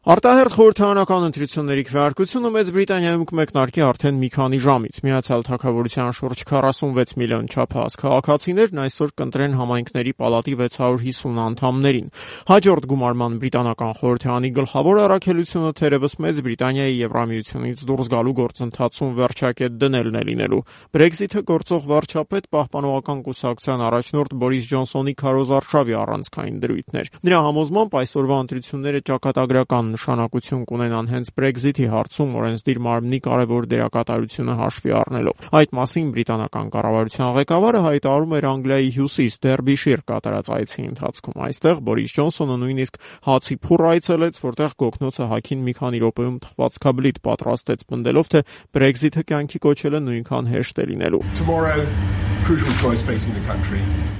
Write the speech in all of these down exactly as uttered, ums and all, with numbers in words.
Արտահերթ խորհրդարանական ընտրությունների քվեարկությունը Մեծ Բրիտանիայում կմեկնարկի արդեն մի քանի ժամից։ Միացյալ Թագավորության շուրջ քառասունվեց միլիոն չափահաս քաղաքացիներն այսօր կընտրեն համայնքների պալատի վեց հարյուր հիսուն անդամներին։ Հաջորդ գումարման բրիտանական խորհրդարանի գլխավոր առաքելությունը թերևս Մեծ Բրիտանիայի Եվրամիությունից դուրս գալու գործընթացում վերջակետ դնելն է լինելու։ Բրեքզիթը գործող վարչապետ Պահպանողական կուսակցության առաջնորդ Բորիս Ջոնսոնի քարոզարշավի առանցքային դրույթներ։ Նրա համոզմամբ այսօրվա ընտրությունները ճակատագրական նշանակություն կունենան հենց Brexit-ի հարցում օրենսդիր մարմնի կարևոր դերակատարությունը հաշվի առնելով։ Այդ մասին բրիտանական կառավարության ղեկավարը հայտարարում էր Անգլիայի հյուսիս Դերբիշիր կատարած այցի ընթացքում։ Այստեղ Բորիս Ջոնսոնը նույնիսկ հացի փուռ այցելեց, որտեղ գոգնոցը հագին մի քանի րոպեում թխվածքաբլիթ պատրաստեց, պնդելով, թե Brexit-ը կյանքի կոչելը նույնքան հեշտ է լինելու։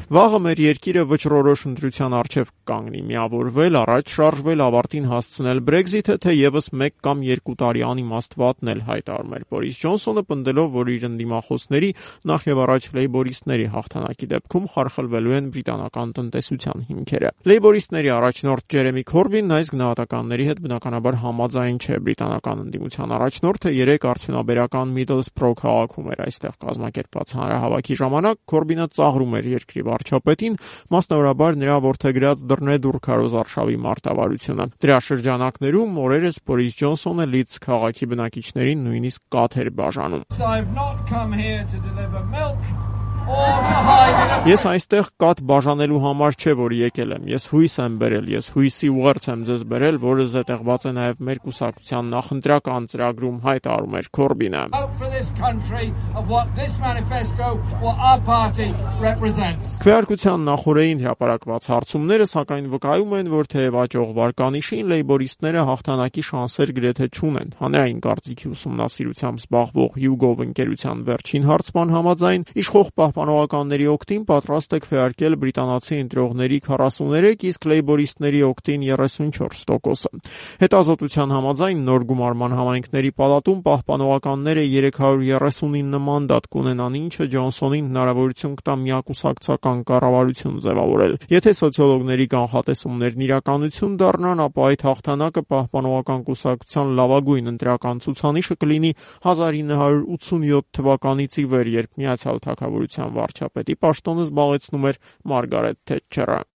Վաղը մեր երկիրը վճռորոշ ընտրության առջև կկանգնի՝ միավորվել, առաջ շարժվել, ավարտին հասցնել Brexit-ը, թե եւս մեկ կամ երկու տարի անիմաստվատն էլ, հայտարարում էր Բորիս Ջոնսոնը, պնդելով, որ իր ընդդիմախոսների, նախ եւ առաջ լեյբորիստների հաղթանակի դեպքում խարխլվելու են բրիտանական տնտեսության հիմքերը։ Լեյբորիստների առաջնորդ Ջերեմի Քորբինն այս գնահատականների հետ բնականաբար համաձայն չէ։ Բրիտանական ընդդիմության առաջնորդը երեք արդյունաբերական Միդլսբրո քաղաքում էր այստեղ կազմակերպված հանրահավաքի ժամանակ Քորբինը ծաղրում էր երկրի վարչապետին, մասնավորաբար նրա որդեգրած դռնեդուռ քարոզարշավի մարտավարությունը։ Դրա շրջանակներում օրերս Բորիս Ջոնսոնը Լիդս քաղաքի բնակիչներին նույնիսկ կաթ էր բաժանում։ Ես այստեղ կաթ բաժանելու համար չէ, որ եկել եմ։ Ես հույս եմ բերել, ես հույսի ուղերձ եմ ձեզ բերել, որը զետեղված է նաև մեր կուսակցության նախընտրական ծրագրում, հայտարարում էր Քորբինը։ Քվեարկության նախօրեին հրապարակված հարցումները սակայն վկայում են, որ թեև աճող վարկանիշին լեյբորիստները հաղթանակի շանսեր գրեթե չունեն։ Հանրային կարծիքի ուսումնասիրությամբ զբաղվող YouGov ընկերության վերջին հարցման համաձայն իշխող պահպանողականների օգտին պատրաստ է քվեարկել բրիտանացի ընտրողների քառասուներեք, իսկ լեյբորիստների օգտին երեսունչորս տոկոսը։ Հետազոտության համաձայն նոր գումարման համայնքների պալատում պահպանողականները երեք հարյուր երեսունինը մանդատ կունենան, ինչը Ջոնսոնին հնարավորություն կտա միակուսակցական կառավարություն ձևավորել։ Եթե սոցիոլոգների կանխատեսումներն իրականություն դառնան, ապա այդ հաղթանակը պահպանողական կուսակցության լավագույն ընտրական ցուցանիշը կլինի հազար ինը հարյուր ութսունյոթ թվականից ի վեր, երբ Միացյալ Թագավորության վարչապետի պաշտոնը զբաղեցնում էր Մարգարետ Թետչերը։